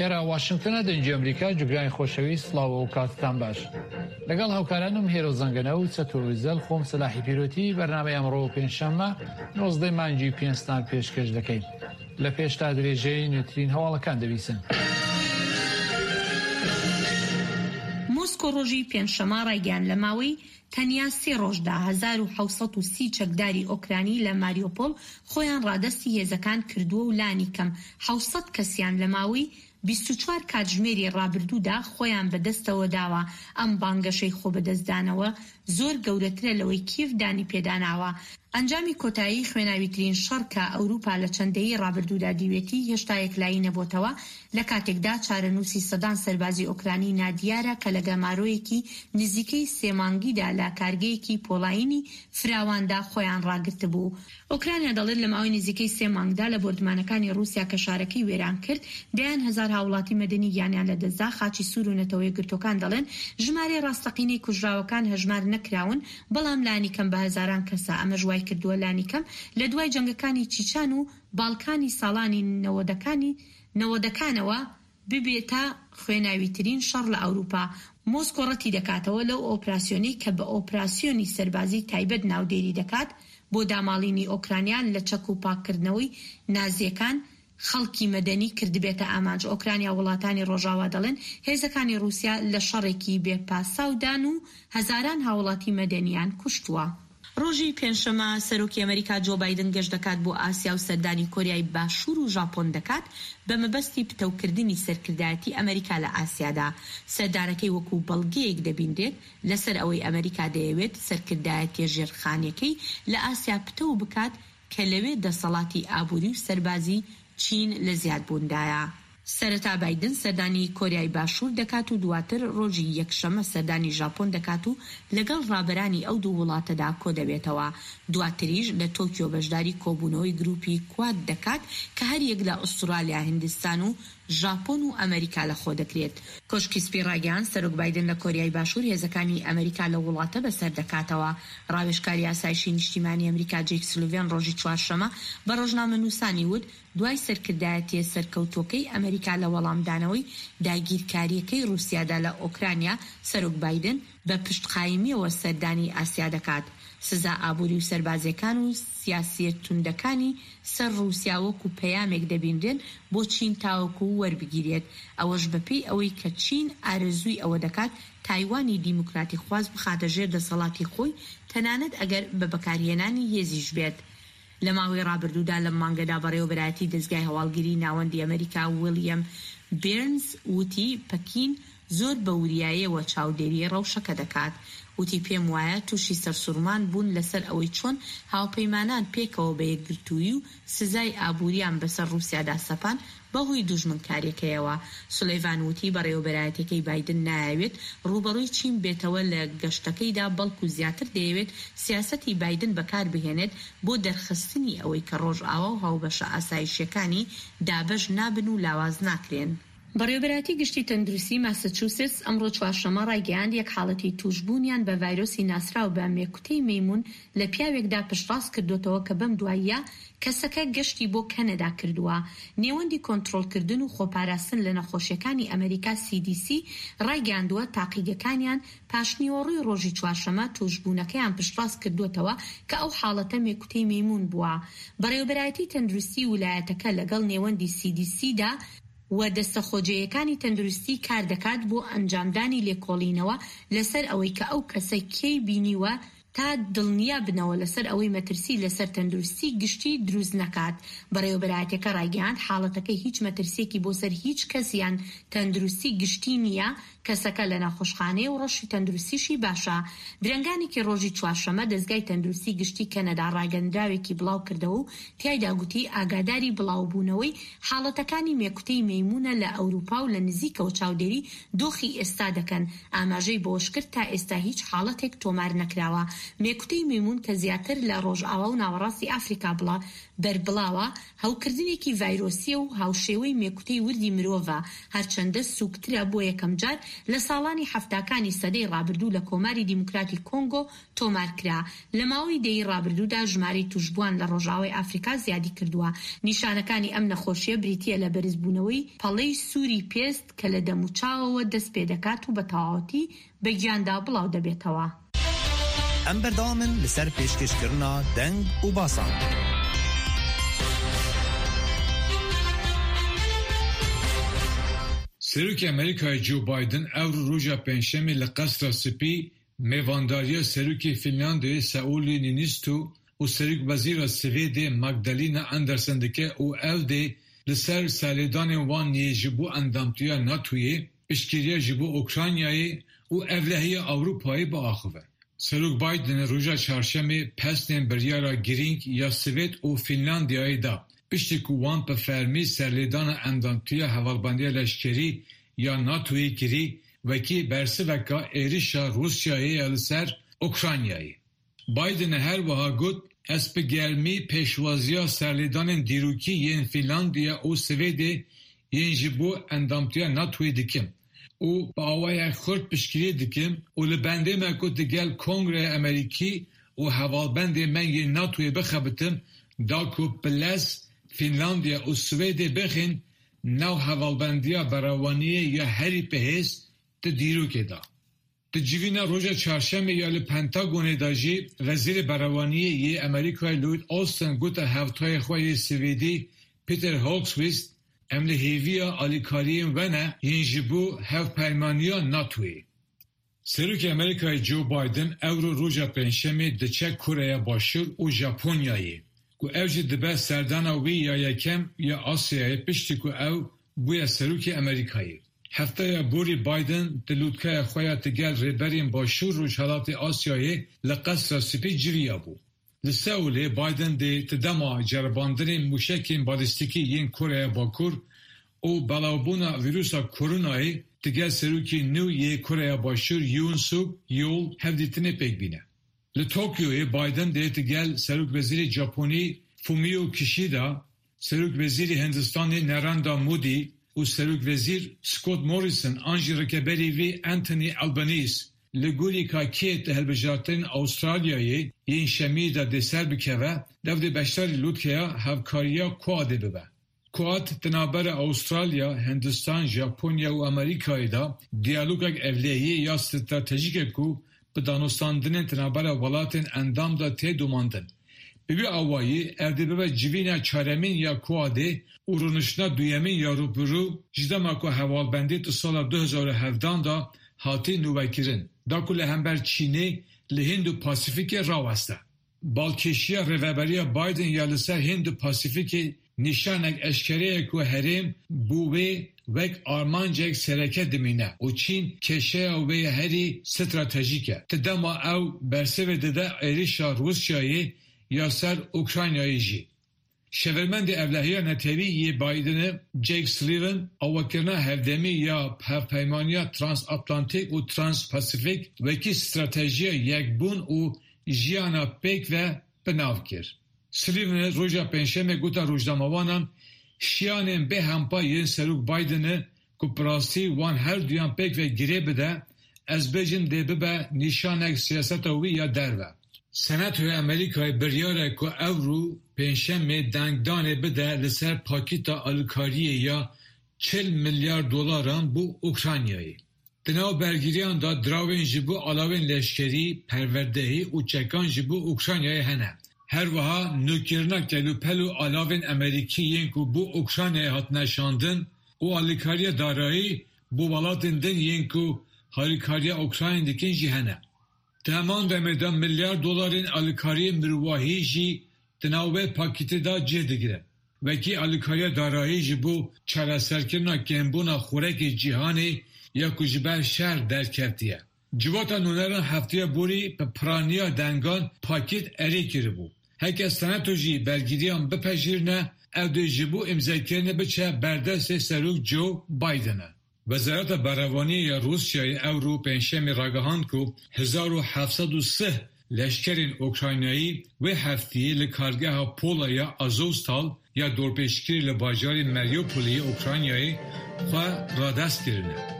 ئێرە واشنگتنە دەنگی ئەمریکا جوگرانی خۆشەویست سڵاو و کاتتان باش لەگەڵ هاوکارانم هێرۆ زەنگەنە و چەتۆ وزەل خۆم سەلاحی پیرۆتی بەرنامەی ئەمڕۆ پێنجشەممە نۆزدەی مانگی پێنجتان پێشکەش دەکەین لە پێشتا درێژەی نوێترین هەواڵەکان دەبیسن. مۆسکۆ ڕۆژی پێنجشەمە ڕایگەیاند لە ماوەی تەنیا سێ ڕۆژدا 1730 چەکداری ئۆکرانی لە ماریۆپۆل خۆیان ڕادەستی هێزەکان کردووە و لانیکەم 700 کەسیان لە ماوەی 24 کاتژمێری ڕابردوودا خۆیان بەدەستەوە داوە، ئەم بانگەشەی خۆبەدەستدانەوە زۆر گەورەترە لەوەی کیێڤ دانی پێداناوە. ئەنجامی کۆتایی خوێناویترین شەڕ کە ئەوروپا لە چەند دەیەی ڕابردوودا دیوێتی هێشتا یەکلایی نەبۆتەوە، لە کاتێکدا چارەنووسی سەدان سەربازی ئۆکرانی نادیارە کە لە گەمارۆیەکی نزیکەی سێ مانگیدا لە کارگەیەکی پۆڵایینی فراواندا خۆیان ڕاگرتبوو. ئۆکرانیا دەڵێت لە ماوەی نزیکەی سێ مانگدا لە بۆردمانەکانی ڕووسیا کە شارەکەی وێران کرد، دەیان هەزار هاوڵاتی مەدەنی گیانیان لەدەستدا، خاچی سوور و نەتەوەیەکگرتووەکان دەڵێن ژمارەی ڕاستەقینەی کوژراوەکان هەژمار نەکراون، بەڵام لانیکەم بە هەزاران کەسە، ئەمەش وایکردووە لانیکەم لە دوای جەنگەکانی چیچان و باڵکانی ساڵانی نەوەدەکانی نەوەدەکانەوە ببێتە خوێناویترین شەڕ لە ئەوروپا. مۆسکۆ ڕەتیدەکاتەوە لەو ئۆپراسیۆنەی کە بە ئۆپراسیۆنی سەربازی تایبەت ناودێری دەکات بۆ داماڵینی ئۆکرانیا لە چەک و پاککردنەوەی نازییەکان خەڵکی مەدەنی کردبێتە ئامانج. ئۆکرانیا و وڵاتانی ڕۆژاوا دەڵێن هێزەکانی ڕووسیا لە شەڕێکی بێ پاساودان و هەزاران هاوڵاتی مەدەنییان کوشتووە. ڕۆژی پێنجشەممە سەرۆکی ئەمەریکا جۆ بایدن گەشت دەکات بۆ ئاسیا و سەردانی کۆریای باشوور و ژاپۆن دەکات بە مەبەستی پتەوکردنی سەرکردایەتی ئەمەریکا لە ئاسیادا. سەردانەکەی وەکو بەڵگەیەک دەبینرێت لەسەر ئەوەی ئەمەریکا دەیەوێت سەرکردایەتیە ژێرخانیەکەی لە ئاسیا پتەو بکات کە لەوێ دەسەڵاتی ئابووری و سەربازی چین لە زیادبووندایە. سەرەتا بایدن سەردانی کۆریای باشوور دەکات و دواتر ڕۆژی یەکشەممە سەردانی ژاپۆن دەکات و لەگەڵ ڕابەرانی ئەو دوو وڵاتەدا کۆدەبێتەوە. دواتریش لە تۆکیۆ بەشداری کۆبوونەوەی گروپی کواد دەکات کە هەریەک لە ئوسترالیا، هیندستان و ژاپۆن و ئەمەریکا لەخۆدەگرێت. کۆشکی سپی ڕایگەیاند، سەرۆک بایدن لە کۆریای باشوور هێزەکانی ئەمەریکا لەو وڵاتە بەسەر دەکاتەوە. ڕاوێژکاری ئاسایشی نیشتیمانی ئەمریکا جەیک سولڤێن ڕۆژی چوارشەممە بە ڕۆژنامەنووسانی وت، دوای سەرکردایەتییە سەرکەوتووەکەی ئەمەریکا لە وەڵامدانەوەی داگیرکارییەکەی ڕووسیادا لە ئۆکرانیا، سەرۆک بایدن بە پشتقایمییەوە سەردانی ئاسیا دەکات. سزا ئابووری و سەربازییەکان و سیاسییە توندەکانی سەر ڕووسیا وەکو پەیامێک دەبینرێن بۆ چین تاوەکو وەربگیرێت، ئەوەش بەپێی ئەوەی کە چین ئارەزووی ئەوە دەکات تایوانی دیموکراتیخواز بخاتە ژێر دەسەڵاتی خۆی تەنانەت ئەگەر بە بەکارهێنانی هێزیش بێت. لە ماوەی ڕابردوودا لەم مانگەدا بەڕێوەبەرایەتی دەزگای هەواڵگری ناوەندی ئەمەریکا ویڵیەم بێرنز وتی پەکین زۆر بە وریایەوە چاودێری ڕەوشەکە دەکات. وتی پێم وایە توشی سەرسوڕمان بوون لەسەر ئەوەی چۆن هاوپەیمانان پێکەوە بە یەکگرتوویی و سزای ئابووریان بەسەر ڕووسیادا سەپاند بەهۆی دوژمنکاریەکەیەوە. سولەیڤان وتی بەڕێوەبەرایەتیەکەی بایدن نایەوێت ڕووبەڕووی چین بێتەوە لە گەشتەکەیدا بەڵکو زیاتر دەیەوێت سیاسەتی بایدن بەکاربهێنێت بۆ دەرخستنی ئەوەی کە ڕۆژئاوا و هاوبەشە ئاسایشیەکانی دابەش نابن و لاواز ناکرێن. بەڕێوەبەرایەتی گشتی تەندروستی ماسەچوستس ئەمڕۆ چوارشەممە ڕایگەیاند، یەک حاڵەتی تووشبوونیان بە ڤایرۆسی ناسراو بە مێکوتەی مەیموون لە پیاوێکدا پشتڕاست کردۆتەوە کە بەم دواییە کەسەکە گەشتی بۆ کەنەدا کردووە. نێوەندی کۆنترۆڵکردن و خۆپاراستن لە نەخۆشیەکانی ئەمەریکا CDC ڕایگەیاندووە تاقیگەکانیان پاشنیوەڕۆی ڕۆژی چوارشەمە تووشبوونەکەیان پشتڕاست کردووەتەوە کە ئەو حاڵەتە مێکوتەی مەیموون بووە. بەڕێوەبەرایەتی تەندروستی ولایەتەکە لەگەڵ نێوەندی CDC دا و دەستە خۆجێیەکانی تەندروستی کاردەکات بۆ ئەنجامدانی لێکۆڵینەوە لەسەر ئەوەی کە ئەو کەسە کێی بینیوە تا دڵنیا بنەوە لەسەر ئەوەی مەترسی لەسەر تەندروستی گشتی دروست نەکات. بەڕێوەبەرایەتیەکە ڕایگەیاند، حاڵەتەکە هیچ مەترسیەکی بۆ سەر هیچ کەس یان تەندروستی گشتی نییە، کەسەکە لە نەخۆشخانەیە و ڕەوشی تەندروستیشی باشە. درەنگانێکی ڕۆژی چوارشەمە دەزگای تەندروستی گشتی کەنەدا ڕاگەندراوێکی بڵاوکردەوە و تیایدا گوتی ئاگاداری بڵاوبوونەوەی حاڵەتەکانی مێکوتەی مەیموونە لە ئەوروپا و لە نزیکەوە چاودێری دۆخی ئێستا دەکەن، ئاماژەی بەوەشکرد تا ئێستا هیچ حاڵەتێک تۆمار نەکراوە. مێکوتەی مەیموون کە زیاتر لە ڕۆژئاوا و ناوەڕاستی ئافریکا بڵا بەربڵاوە، هەوکردنێکی ڤایرۆسییە و هاوشێوەی مێکوتەی وردی مرۆڤە، هەرچەندە سووکترە، بۆ یەکەمجار لە ساڵانی حەفتاکانی سەدەی ڕابردوو لە کۆماری دیموکراتی کۆنگۆ تۆمارکرا. لە ماوەی دەیەی ڕابردوودا ژمارەی تووشبووان لە ڕۆژئاوای ئافریکا زیادیکردووە. نیشانەکانی ئەم نەخۆشییە بریتییە لە بەرزبوونەوەی پەڵەی سووری پێست کە لە دەموچاوەوە دەستپێدەکات و بە تەواوەتی بە گیاندا بڵاو دەبێتەوە. ئەم بەردەوامن لەسەر پێشکەشکردنا دەنگ و باسان. Serokê Amerîkayê Joe Biden ewro roja Pêncşemê li Qesra Spî mêvandariya Serokê Fînlandiyayê Sauli Niinistö û Serokwezîra Swêdê Magdalena Andersson dike û ew dê li ser serlêdanên wan yê ji bo endamtiya NATOyê, piştgiriya ji bo Ukraynayê û ewlehiya Ewropayê biaxive. Serok Biden roja Çarşemê pesnên biryara girîng ya Swêd û Fînlandiyayê da, piştî ku wan bi fermî serlêdana endamtiya Hevalbendiya Leşkerî ya NATOyê kirî wekî bersiveka êrişa Rûsyayê ya li ser Ukraynayê. Biden her wiha got, Ez bi germî pêşwaziya serlêdanên dîrokî yên Fînlandiya û Swêdê yên ji bo endamtiya NATOyê dikim û bi awayek xurt piştgiriyê dikim û li bendê me ku digel Kongreya Amerîkî û hevalbendên me yên NATOyê bixebitim da ku bi lez Fînlandiya û Swêdê bixin nav hevalbendiya berevaniyê ya herî bihêz di dîrokê de. Di civîna roja Çarşemê ya li Pentagonê de jî Wezîrê Berevaniyê yê Amerîkayê Lloyd Austin gote hevtayê xwe yê Swêdî Peter Hultqvist, Em li hêviya alîkariyên we ne yên ji bo hevpeymaniya NATOyê. Serokê Amerîkayê Joe Biden ewro roja Pêncşemê diçe Koreya Başûr û Japonyayê ku ew jî dibe serdana wî ya yekem ya Asyayê piştî ku ew bûye serokê Amerîkayê. Hefteya borî Biden di lûtkeya xwe ya digel rêberên Başûr Rojhilatê Asyayê li Qesra Spî civiyabû. Li Seulê Biden dê di dema ceribandinên mûşekên balîstîkî yên Koreya Bakur û belavbûna vîrusa koronayê digel serokê nû yê Koreya Başûr Yoon Suk Yeol hevdîtinê pêk bîne. Li Tokyoyê Biden dê digel Serokwezîrê Japonî Fumio Kishida, Serokwezîrê Hindistanê Narendra Modi û Serokwezîr Scott Morrison an jî rikeberî wî Anthony Albanese li gorî ka kê di hilbijartinên Awistralyayê yên şemiyê de dê ser bikeve, dev dê beşdarî lûtkeya hevkariya Quadê bibe. Quad di navbera Awistralya, Hindistan, Japonya û Amerîkayê de diyalogek ewlehiyê ya stratejîk e ku bi danûstandinên di navbera welatên endam de tê domandin. Bi vî awayî ev dê bibe civîna çaremîn ya Quadê û rûniştina duyemîn ya rûbirû ji dema ku hevalbendî di sala 2017 de hatî nûvekirin da ku li hember Çînê li Hînd û Pasîfîkê raweste. Balkêşiya rêveberiya Biden ya li ser Hînd û Pasîfîkê nîşanek eşkere ye ku herêm bo wê wek armancek sereke dimîne û Çîn kêşeya wê ya herî stratejîk e. Di dema ew bersivê dide êrişa Rûsyayê ya ser Ukraynayê jî. Şêwirmendê Ewlehiya Netewî yê Bidenê Jake Sullivan avakirina hevdemî ya Hevpeymaniya Transatlantîk û Transpasîfîk wekî stratejiya yekbûn û jiyana pêkve bi nav kir. Sullivanê roja Pêncşemê gote rojnamevanan, Şiyanên bê hempa yên Serok Bidenê Ku bi rastî wan her duyan pêkve girê bide, ez bêjim dê bibe nîşanek siyaseta wî ya derve. Senatoya Amerîkayê biryar e ku ewro Pêncşemê dengdanê bide li ser pakîta alîkariyê ya 40 milyar dolaran bo Ukraynayê. Di nav bergiriyan de diravên ji bo alawên leşkerî, perwerdehî û çekan ji bo Ukraynayê hene. Her wiha nûkirina kelûpel û alavên Amerîkî yên ku bo Ukraynayê hatine şandin û alîkariya darayî bo welatên din yên ku harîkariya Ukraynayê dikin jî hene. Di heman demê de milyar dolarên alîkariyên mirovahî jî di nav wê pakîtê de cih digire. Wekî alîkariya darayî ji bo çareserkirina kêmbûna xurekê cîhanê ya ku ji ber şer derketiye. Civata nûneran hefteya borî bi piraniya dengan pakêt erê kiribû. Heke senato jî bergiriyan bipejirîne ew dê ji bo îmzekirinê biçe ber destê Serok Joe Biden e. Wezareta Berevaniyê ya Rûsyayê ewro Pêncşemê ragihand ku 1703. Leşkerên Okraynayî wê hefteyê li kargeha pola ya Azovstal ya dorpêçkirî li bajarê Mariupolê yê Okraynayê xwe radest kirine.